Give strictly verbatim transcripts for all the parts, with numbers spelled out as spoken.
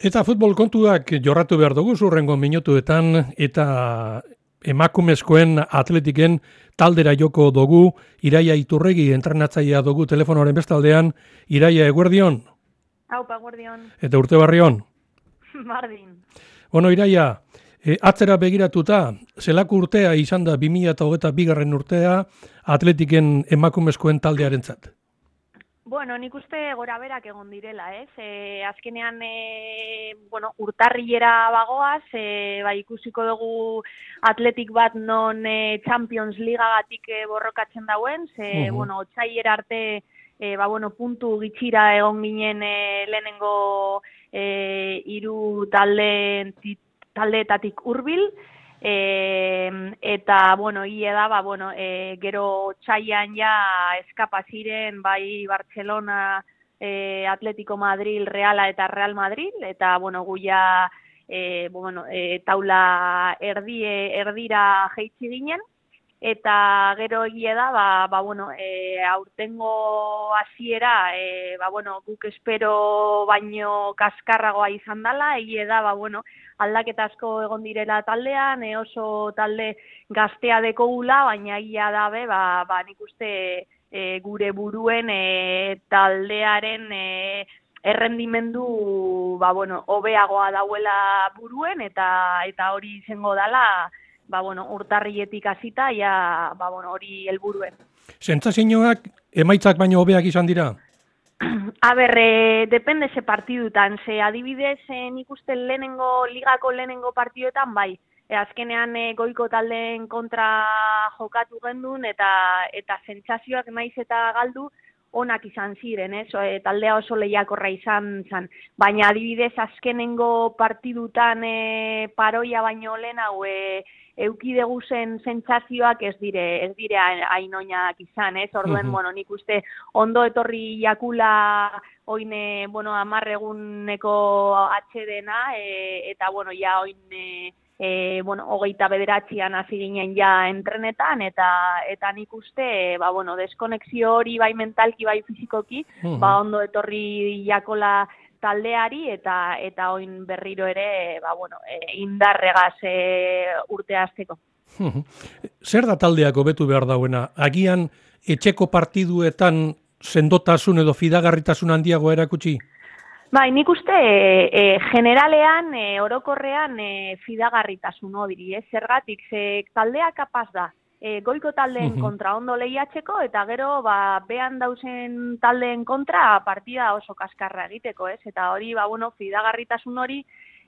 Eta futbol kontuak jorratu behar dugu zurrengo minutuetan eta emakumezkoen atletiken taldera joko dugu. Iraia Iturregi entrenatzailea dugu telefonoaren bestaldean. Iraia, eguerdion? Aupa, eguerdion. Eta urte barrion? Bardin. Bueno, Iraia, e, atzera begiratuta, zelako urtea izan da bi mila hogeita bigarren urtea atletiken emakumezkoen taldearentzat? Bueno, nik uste gora berak egon direla, ez? E, azkenean, e, bueno, urtarrilera bagoaz, e, bai ikusiko dugu atletik bat non e, Champions Ligagatik e, borrokatzen dauen, ze, uh-huh. bueno, otsailera arte, e, ba, bueno, puntu gitxira egon ginen e, lehenengo e, hiru talde, taldeetatik hurbil, E, eta, bueno, hile da, ba, bueno, e, gero txaian ja eskapa ziren, bai Barcelona, e, Atletico Madrid, Reala eta Real Madrid, eta, bueno, gu ja, e, bueno, e, taula erdi, erdira jeitzi ginen, eta gero hile da, ba, ba, bueno, e, aurtengo hasiera, e, ba, bueno, guk espero baino kaskarragoa izan dela, hile da, ba, bueno, aldaketa asko egon direla taldean, e, oso talde gaztea dekogula, baina ia dabe, ba, ba nik uste e, gure buruen e, taldearen e, errendimendu ba, bueno, hobeagoa dauela buruen, eta eta hori izango dela, ba, bueno, urtarrietik hasita, ja, ba, bueno, hori helburuen. Sentsazioak emaitzak baino hobeak izan dira? A ber, eh, depende ze partidutan, ze adibidez eh, nik uste lehenengo, ligako lehenengo partiduetan, bai, e, azkenean eh, goiko taldeen kontra jokatu gendun, eta eta sentsazioak naiz eta galdu onak izan ziren, ez? E, taldea oso lehiakorra izan zen, baina adibidez azkenengo partidutan e, paroia baino lehen hau e, eukidegu zen sentsazioak ez dire, ez dire hain oinak izan, ez? Orduen, uh-huh. bueno, nik uste ondo etorri jakula oine, bueno, amarreguneko atxedena, e, eta, bueno, ja oin, e, e, bueno, hogeita bederatzian hasi ginen ja entrenetan, eta eta nik uste, ba, bueno, deskonexio hori bai mentalki, bai fizikoki, uh-huh. ba, ondo etorri jakola taldeari, eta eta oin berriro ere, ba, bueno, e, indarregaz e, urte hasteko. Zer da taldeak hobetu behar dauena? Agian etxeko partiduetan sendotasun edo fidagarritasun handiago erakutsi? Bai, nik uste e, e, generalean, e, orokorrean e, fidagarritasun hori, ez? Zergatik, ze taldea kapaz da. E, goiko taldeen uh-huh. kontra ondo lehiatzeko, eta gero ba, behan dauzen taldeen kontra partida oso kaskarra egiteko, ez? Eta hori, ba, bueno, fidagarritasun hori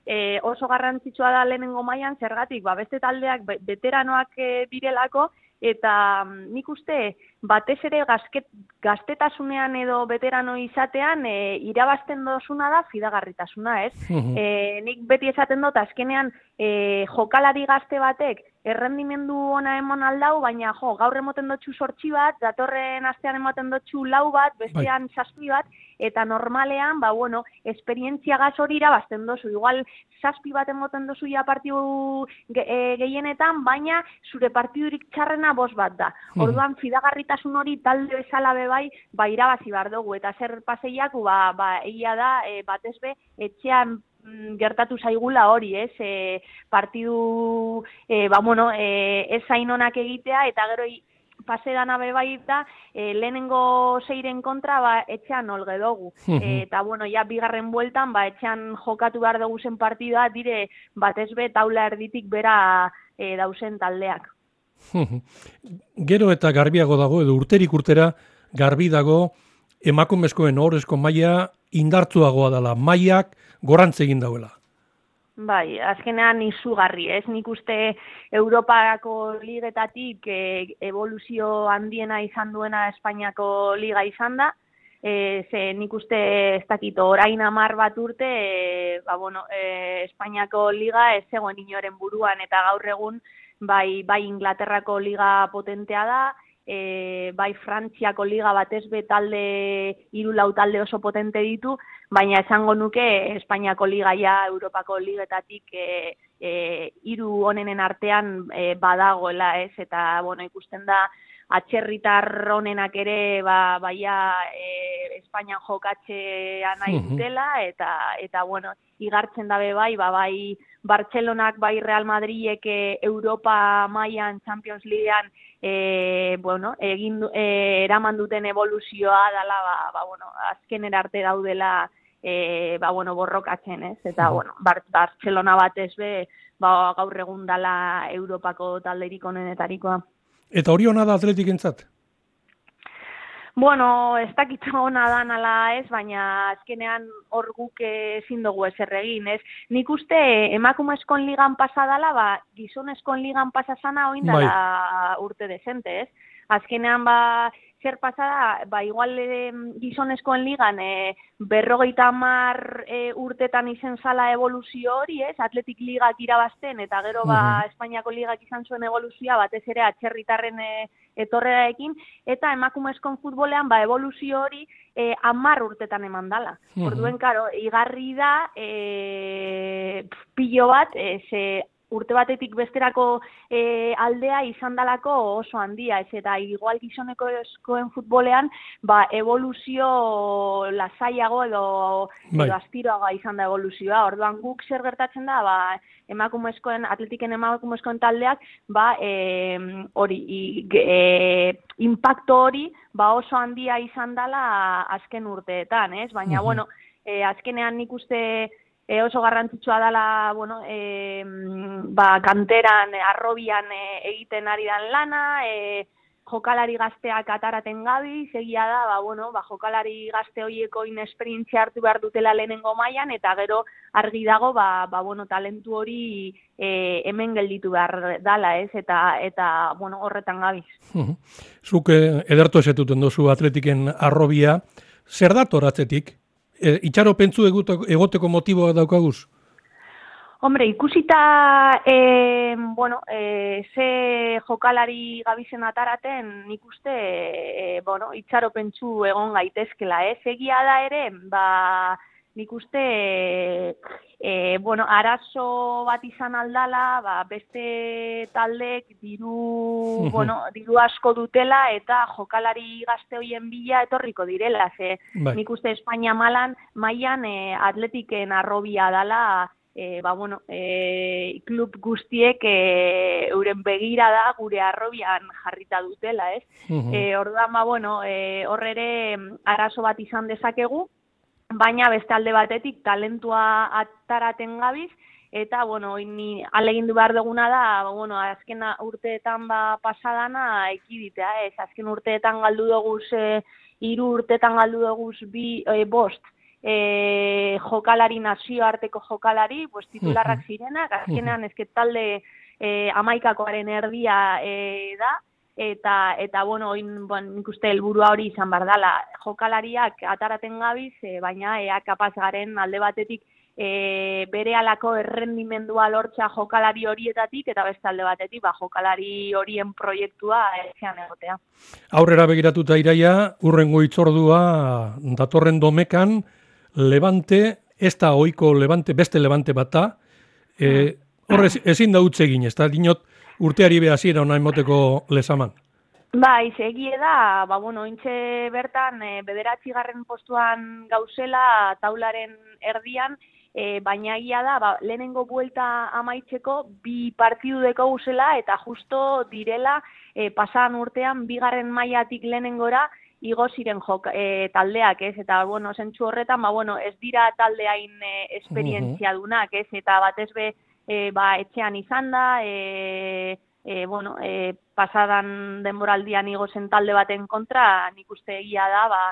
e, oso garrantzitsua da lehenengo mailan, zergatik, ba, beste taldeak veteranoak e, direlako, eta nik uste batez ere gazket, gaztetasunean edo veterano izatean e, irabazten dozuna da fidagarritasuna, ez? Uh-huh. E, nik beti esaten dut, azkenean e, jokalari gazte batek errendimendu ona emon aldau, baina jo, gaur emoten dutxu sortxi bat, datorren astean emoten dutxu lau bat, bestean zazpi bat, eta normalean, ba, bueno, esperientzia gaz hori irabazten dozu. Igual, zazpi bat emoten dozu ja partidu ge, e, gehienetan, baina zure partidurik txarrena bost bat da. Orduan, fidagarritasun hori talde bezala bebai, ba, irabazi behar dugu, eta zer paseiaku, ba, ba, egia da, e, batez be, etxean gertatu zaigula hori, ez? E, partidu, e, ba, bueno, e, ez zain onak egitea, eta gero pase dana bebaita, e, lehenengo zeiren kontra, ba, etxean olge dugu. E, eta, bueno, ja, bigarren bueltan, ba, etxean jokatu behar dugu zen partidua, dire, batez be, taula erditik bera e, dausen taldeak. Gero eta garbiago dago, edo urterik urtera, garbi dago, emakumezkoen ohorezko maila indartzuagoa dela, mailak gorantz egin dauela. Bai, azkenean izugarri, ez? Nik uste Europako ligetatik e, evoluzio handiena izan duena Espainiako liga izan da, e, ze nik uste ez dakit orain hamar bat urte, e, ba, bueno, e, Espainiako liga ez zegoen inoren buruan, eta gaur egun bai, bai Inglaterrako liga potentea da, E, bai Frantziako liga batez be talde hiru lau talde oso potente ditu, baina esango nuke Espainiako liga ja Europako ligetatik e, e, hiru honenen artean e, badagoela, ez? Eta bueno, ikusten da atxerritar honenak ere ba, baia e, Espainian jokatxea nahi dutela, eta, eta bueno, igartzen dabe bai, ba, bai Bartzelonak, bai Real Madridek Europa mailan Champions Leaguean e, bueno, egin, e, eraman duten evoluzioa dela, ba, ba, bueno, azkenera arte daudela e, ba, bueno, borrokatzen, ez? Eta, bueno, Bar Bartzelona batez be, ba, gaur egun dela Europako talderik onenetarikoa. Eta hori hona da Atletikentzat? Bueno, ez dakit hona da nala ez, baina azkenean hor guk ezin dugu ezer egin, ez? Nik uste emakumezkoen ligan pasa dala, ba, gizonezkoen ligan pasa zana oin dala urte dezente, ez? Azkenean, ba, zer pasada, ba, igual e, gizonezkoen ligan e, berrogeita hamar e, urtetan izen zala evoluzio hori, ez? Atletik ligak irabazten, eta gero, ba, Espainiako ligak izan zuen evoluzioa, batez ere atxerritarren e, etorrearekin, eta emakumezkoen futbolean, ba, evoluzio hori e, hamar urtetan eman dala. Orduen, karo, igarri da, e, pilo bat, e, ze, urte batetik besterako e, aldea izan dalako oso handia, ez eta igual gizoneko eskoen futbolean, ba, evoluzio lasaiago edo, edo astiroaga izan da evoluzioa. Orduan guk zer gertatzen da, ba, emakumezkoen, atletiken emakumezkoen taldeak, ba, e, hori, e, impacto hori, ba, oso handia izan dala azken urteetan, ez? Baina, uh-huh. bueno, e, azkenean nik uste, E oso garrantzitsua dela, bueno, e, ba, kanteran, arrobian e, egiten ari dan lana, e, jokalari gazteak ataraten gabi, segia da, ba, bueno, ba, jokalari gazte horieko inesperientzia hartu behar dutela lehenengo mailan, eta gero argi dago, ba, ba, bueno, talentu hori e, hemen gelditu behar dala, ez, eta, eta bueno, horretan gabiz. Zuk edertu esetuten dozu Atletiken arrobia, zer dator atzetik? E, itxaro pentsu egoteko motiboa daukaguz? Hombre, ikusita, e, bueno, e, ze jokalari gabizen ataraten, nik uste, e, bueno, itxaro pentsu egon gaitezkela, ez? Egia da ere, ba, nik uste, e, bueno, arazo bat izan aldala, ba, beste taldek diru, bueno, diru asko dutela eta jokalari gazte hoien bila etorriko direla, ze bai. Nik uste Espainia malan, mailan e, Atletiken arrobia dala, e, ba, bueno, e, klub guztiek e, euren begira da gure arrobian jarrita dutela, ez? Uh-huh. E, orduan, ba, bueno, e, horrere arazo bat izan dezakegu, baina beste alde batetik talentua ataraten gabiz, eta, bueno, ni alegindu behar duguna da, bueno, azken urteetan ba, pasadana ekiditea, ez, azken urteetan galdu duguz, e, hiru urteetan galdu duguz bi, e, bost, e, jokalari, nazioarteko jokalari, pues, titularrak zirenak, azkenean ezket talde e, amaikakoaren erdia e, da, Eta, eta bueno, oin, bon, nik uste helburua hori izan behar dela, jokalariak ataraten gabiz, e, baina ea kapaz garen alde batetik e, bere alako errendimendua lortza jokalari horietatik, eta beste alde batetik, ba, jokalari horien proiektua etxean egotea. Aurrera begiratuta Iraia, urrengo itzordua datorren domekan, Levante, ez da ohiko Levante, beste Levante bat da, e, horrez ezin da utze egin, ez da, dinot, urteari behazira ona emoteko lezaman. Ba, izegie da, ba, bueno, intxe bertan, e, bederatzi garren postuan gauzela taularen erdian, e, baina egia da, ba, lehenengo buelta amaitzeko bi partidu deko guzela, eta justo direla, e, pasadan urtean, bigarren mailatik lehenengora, igo ziren jok, e, taldeak, ez? Eta, bueno, zentzu horretan, ba, bueno, ez dira taldeain e, esperientzia dunak, ez? Eta batez be, E, ba, etxean izan da, e, e, bueno, e, pasadan denboraldian igo zen talde baten kontra, nik uste egia da, ba,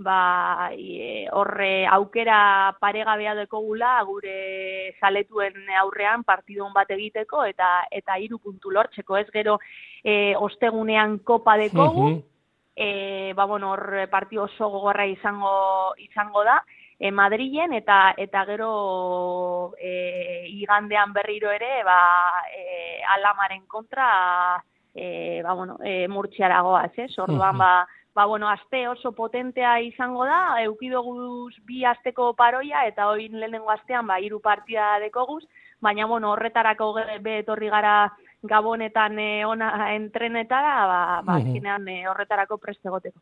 ba, e, horre aukera paregabea dekogula gure zaletuen aurrean partidun bat egiteko eta eta hiru puntu lortzeko, ez gero e, ostegunean kopa dekogu, uh-huh. e, ba, bueno, hor partio oso gogorra izango, izango da, E, Madrilen eta eta gero e, igandean berriro ere ba, e, Alamaren kontra e, ba, bueno, e, Murtziaragoaz, ez? Orduan, uh-huh. ba, ba, bueno, aste oso potentea izango da, eukidoguz bi asteko paroia eta oin lehenengo astean ba, hiru partida dekoguz, baina bueno, horretarako be etorri gara gabonetan e, ona entrenetara, ba, ba azkenean e, horretarako prest egoteko.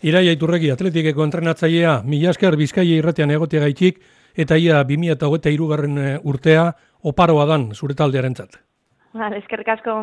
Iraia Iturregi, atletikeko entrenatzailea, mila esker Bizkaia irratian egotea gaitxik, eta ia bi mila hogeita hirugarren urtea oparoa dan zure taldearentzat. Vale, eskerrik asko.